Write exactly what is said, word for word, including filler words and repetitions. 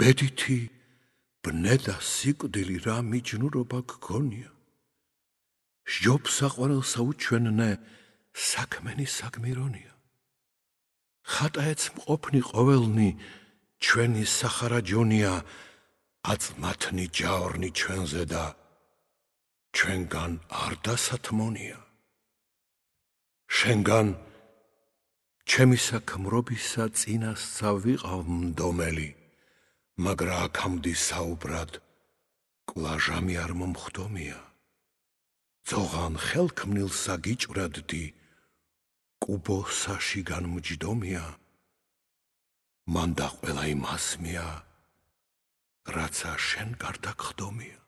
ბედითი ბნე და სიკვდილი რა მიჯნურობა გქონია. სჯობს საყვარელსა უჩვენნე საქმენი საგმირონია. ხატაეც მყოფნი ყოველნი ჩვენი სახარაჯონია, აწმათნი ჯაორნი ჩვენზე და ჩვენგან არ დასათმონია. შენგან ჩემი საქმრობისა წინასცა ვიყავ მდომელი, მაგრა აქამდე საუბრად კვლაჟამი არ მომხდომია. ძოღან ხელქმნილსა გიჭვრადდი, კუბოსაში განმჯდომია, მან და ყველა იმასმია, რაცა შენ გარდა გხდომია.